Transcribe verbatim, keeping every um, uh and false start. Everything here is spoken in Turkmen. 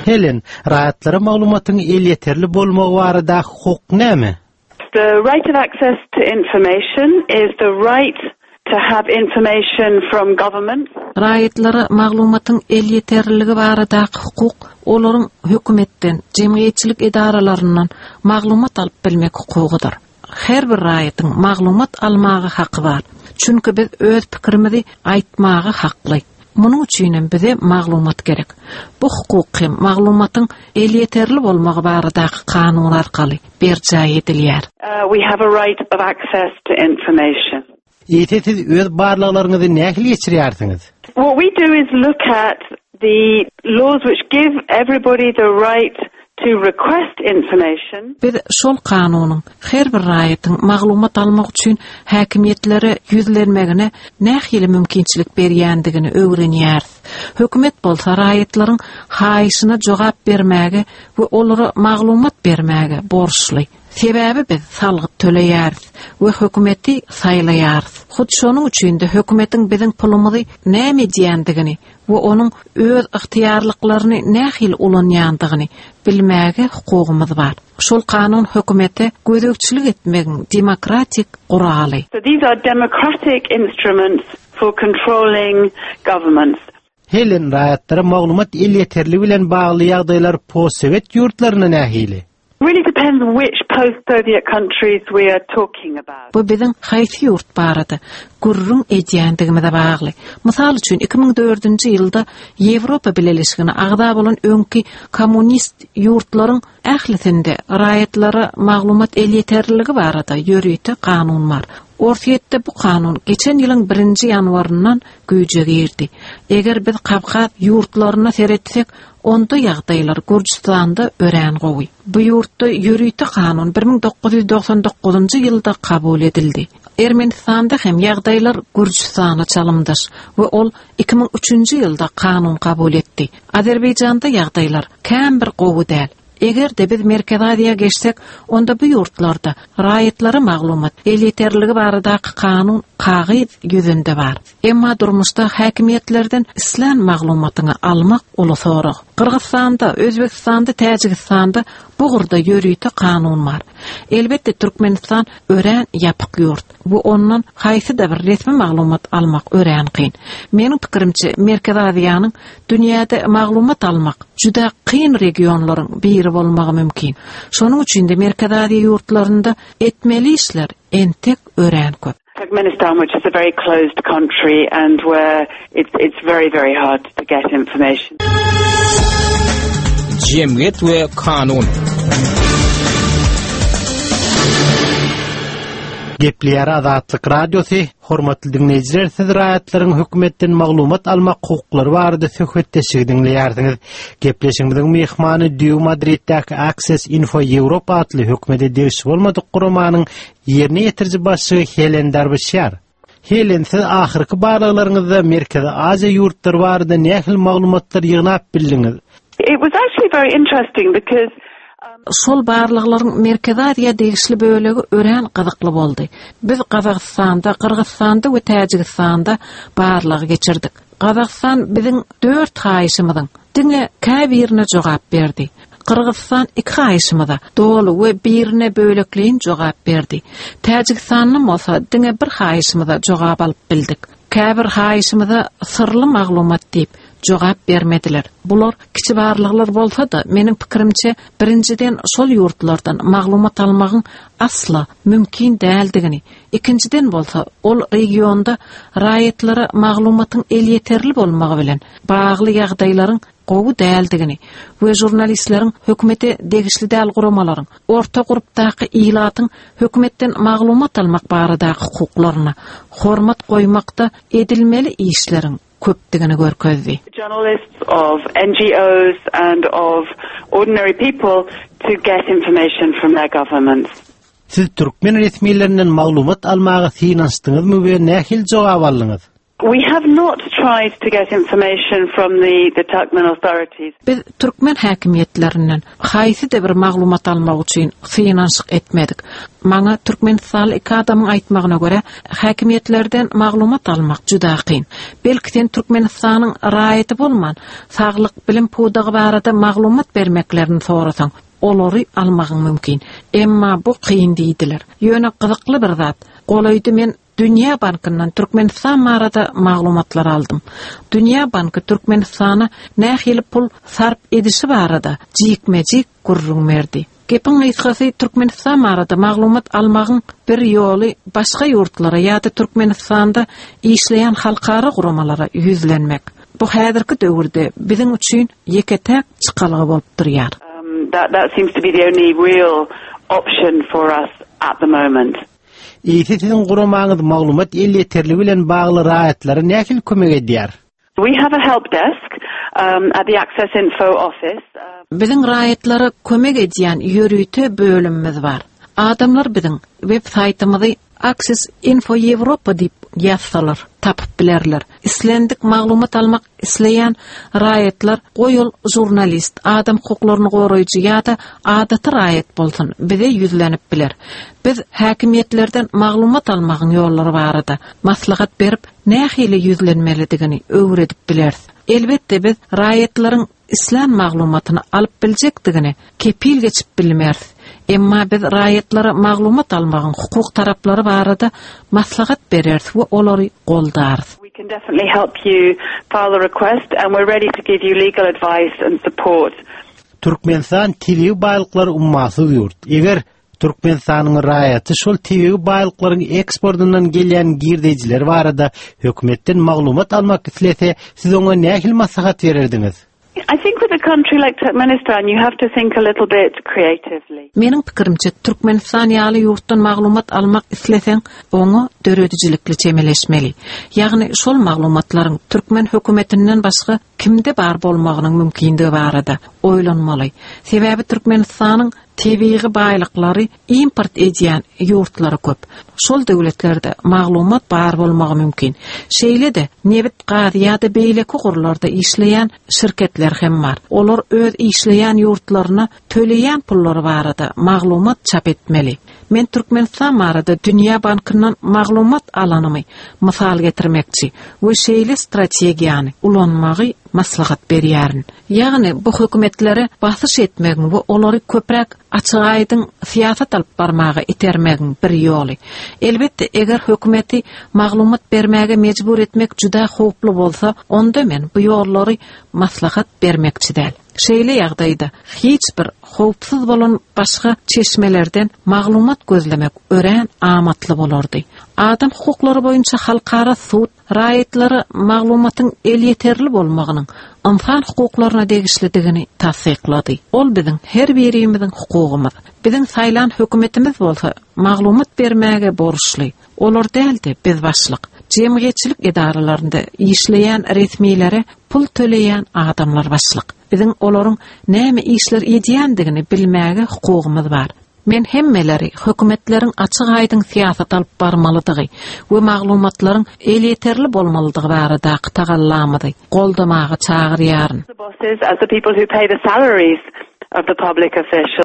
Helen, raýatlara maglumatyň elýeterli bolmagy barada hukuk näme? The right of access to information is the right to have information from government. Raýatlara maglumatyň elýeterliligi baradaky hukuk olaryň hökümetden, jemgyýetçilik edaralaryndan maglumat alyp bilmek hukugydyr. Her bir raýatyň maglumat almaga haky bar. Çünki biz öz pikirimizi aýtmaga hakly. Munuň üçin hem bize maglumat gerek. Bu hukuk hem maglumatyň elýeterli bolmagy baradaky kanun arkaly berjaý edilýär. Uh, we have a right of access to information. Eýse siz öz barlaglaryňyzy nähili geçirýärsiňiz? What we do is look at the laws which give everybody the right to request information. Biz şol kanunyň her bir raýatyň maglumat almak üçin häkimiýetlere ýüzlenmegine nähili mümkinçilik berýändigini öwrenýäris. Hökümet bolsa raýatlaryň haýyşyna jogap bermäge we olara maglumat bermäge borçly. Sebäbi biz salgyt töleýäris we hökümeti saýlaýarys. Hut şonuň üçin de hökümetiň biziň pulumyzy näme edýändigini we onuň öz ygtyýarlyklaryny nähili ulanýandygyny bilmäge hukugymyz bar. Şol kanun hökümete gözegçilik etmegiň demokratik guraly. So these are democratic instruments for controlling governments. Helen, raýatlara maglumat elýeterli bilen bagly ýagdaýlar postsowet ýurtlaryna nähili? Really depends which post-Soviet countries we are talking about. Bu biziň haýsy ýurt barada gürrüň edýändigimize bagly. Mysal üçin iki müň dördünji ýylda Ýewropa Bileleşigine agza bolan öňki kommunist ýurtlaryň ählisinde raýatlara maglumat elýeterliligi barada ýörite kanun bar. Orsýetde bu kanun geçen ýylyň birinji ýanwaryndan güýje girdi. Eger biz Kawkaz ýurtlaryna seretsek, onda ýagdaýlar Gürjüstanda örän gowy. Bu ýurtda ýörite kanun bir müň dokuz ýüz doksan dokuzynjy ýylda kabul edildi. Ermenistanda hem ýagdaýlar Gürjüstana çalymdaş we ol iki müň üçünji ýylda kanun kabul etdi. Azerbaýjanda ýagdaýlar kän bir gowy däl. Eger de biz Merkezi Aziýa geçsek, onda bu ýurtlarda raýatlara maglumat elýeterliligi baradaky kanun kagyz ýüzünde bar. Emma durmuşda häkimiýetlerden islän maglumatyňy almak uly sorag. Gyrgyzstanda, Özbekistanda, Täjigistanda bu ugurda ýörite kanun bar. Elbetde Türkmenistan örän ýapyk ýurt. Bu ondan haýsy-da bir resmi maglumat almak örän kyn. Meniň pikirimçe Merkezi Aziýanyň dünýäde maglumat almak juda kyn regionlaryň biri bolmagy mümkin. Şonuň üçin de Merkezi Aziýa ýurtlarynda etmeli işler entek örän köp. Turkmenistan, which is a very closed country and where it's, it's very, very hard to get information. Jemgyýet we kanun. Gepleýär Azatlyk Radiosy. Hormatly dinleýjiler, siz raýatlaryň hökümetden maglumat almak hukuklary barada söhbetdeşligi dinleýärsiňiz. Gepleşigimiziň myhmany Dýu Madriddäki Access Info Europe atly hökümete degişli bolmadyk guramanyň ýerine ýetiriji başlygy Helen Darbişýar. Helen, siz ahyrky barlaglaryňyzda Merkezi Aziýa ýurtlary barada nähili maglumatlar ýygnap bildiňiz? It was actually very interesting because Şol barlaglaryň Merkezi Aziýa degişli bölegi örän gyzykly boldy. Biz Gazagystanda, Gyrgyzstanda we Täjigistanda barlagy geçirdik. Gazagystan biziň dört haýyşymyzyň diňe käbirine jogap berdi. Gyrgyzstan iki haýyşymyza doly we birine bölekleýin jogap berdi. Täjigistandan bolsa diňe bir haýyşymyza jogap alyp bildik. Käbir haýyşymyza syrly maglumat diýip jogap bermediler. Bular kiçi barlaglar bolsa da meniň pikirimçe birinjiden şol ýurtlardan maglumat almagyň asla mümkin däldigini, ikinjiden bolsa ol regionda raýatlara maglumatyň elýeterli bolmagy bilen bagly ýagdaýlaryň gowy däldigini we žurnalistleriň hökümete degişli däl guramalaryň orta grupdaky ilatyň hökümetden maglumat almak baradaky hukuklaryna hormat goýmakda edilmeli işleriň köpdügini görkezdi. Journalists of N G Os and of ordinary people to get information from their governments. Siz türkmen resmilerinden maglumat almaga synanyşdyňyzmy we nähili jogap aldyňyz? We have not tried to get information from the, the Turkmen authorities. Biz türkmen häkimiýetlerinden haýsy-da bir maglumat almak üçin synanyşyk etmedik. Maňa Türkmenistanly iki adamyň aýtmagyna görä, häkimiýetlerden maglumat almak juda kyn. Belki sen Türkmenistanyň raýaty bolman, saglyk bilim pudagy barada maglumat bermeklerini sorasaň, olary almagyň mümkin. Emma bu kyn diýdiler. Ýöne gyzykly bir zat. Golaýda men Dünýä Bankyndan Türkmenistan barada maglumatlar aldym. Dünýä Banky Türkmenistana nähili pul sarp edişi barada jikme-jik gürrüň berdi. Gepiň gysgasy Türkmenistan barada maglumat almagyň bir ýoly başga ýurtlara ýa-da Türkmenistanda işleýän halkara guramalara ýüzlenmek. Bu häzirki döwürde biziň üçin ýeke-täk çykalga bolup durýar. Um, that, that seems to be the only real option for us at the moment. Eýse siziň guramaňyz maglumat elýeterligi bilen bagly raýatlara nähili kömek edýär? We have a help desk um, at the Access Info office. Uh, Biziň raýatlara kömek edýän ýörite bölümimiz bar. Adamlar biziň web saýtymyzy Access Info Europa diýip ýazsalar, tapyp bilerler. Islendik maglumat almak isleýän raýatlar goý ol žurnalist, adam hukuklaryny goraýjy ýa-da adaty raýat bolsun, bize ýüzlenip biler. Biz häkimiýetlerden maglumat almagyň ýollary barada maslahat berip, nähili ýüzlenmelidigini öwredip bileris. Elbetde biz raýatlaryň islän maglumatyny alyp biljekdigini kepil geçip bilmeris. Emma biz raýatlara maglumat almagyň hukuk taraplary barada maslahat bereris we olary goldarys. we can definitely help you file a request and we're ready to give you legal advice and support. Türkmenistan tebigy baýlyklary ummasyz ýurt. Eger Türkmenistanyň raýaty şol tebigy baýlyklaryň eksportyndan gelýän girdejiler barada hökümetden maglumat almak islese, siz oňa nähili maslahat bererdiňiz? I think with a country like Turkmenistan, you have to think a little bit creatively. Meniň pikirimçe Türkmenistan ýaly ýurtdan maglumat almak isleseň, oňa döredijilikli çemeleşmeli. Ýagny şol maglumatlaryň türkmen hökümetinden başga kimde bar bolmagynyň mümkindigi barada oýlanmaly. Sebäbi Türkmenistanyň tebigy baýlyklary import edýän ýurtlary köp. Şol döwletlerde maglumat bar bolmagy mümkin. Şeýle-de nebit, gaz ýa-da beýleki ugurlarda işleýän şirketler hem bar. Olar öz işleýän ýurtlaryna töleýän pullary barada maglumat çap etmeli. Men Türkmenistan barada Dünýä Bankyndan maglumat alanymy mysal getirmekçi we şeýle strategiýany ulanmagy maslahat berýärin. Ýagny bu hökümetlere basyş etmegiň we olary köpräk açyk aýdyň syýasat alyp barmaga itermegiň bir ýoly. Elbetde, eger hökümeti maglumat bermäge mejbur etmek juda howply bolsa, onda men bu ýollary maslahat bermekçi däl. Şeýle ýagdaýda hiç bir howpsuz bolan başga çeşmelerden maglumat gözlemek örän amatly bolardy. Adam hukuklary boýunça halkara sud raýatlara maglumatyň elýeterli bolmagynyň ynsan hukuklaryna degişlidigini tassyklady. Ol biziň her birimiziň hukugymyz. Biziň saýlan hökümetimiz bolsa maglumat bermäge borçly. Olar däldi biz başlyk. Jemgyýetçilik edaralarynda işleýän resmilere pul töleýän adamlar başlyk. Biziň olaryň näme işler edýändigini bilmäge hukugymyz bar. Men hemmeleri hökümetleriň açyk aýdyň syýasat alyp barmalydygy we maglumatlaryň elýeterli bolmalydygy baradaky tagallamyzy goldamaga çagyrýaryn. The bosses, as the people who pay the salaries of the public officials.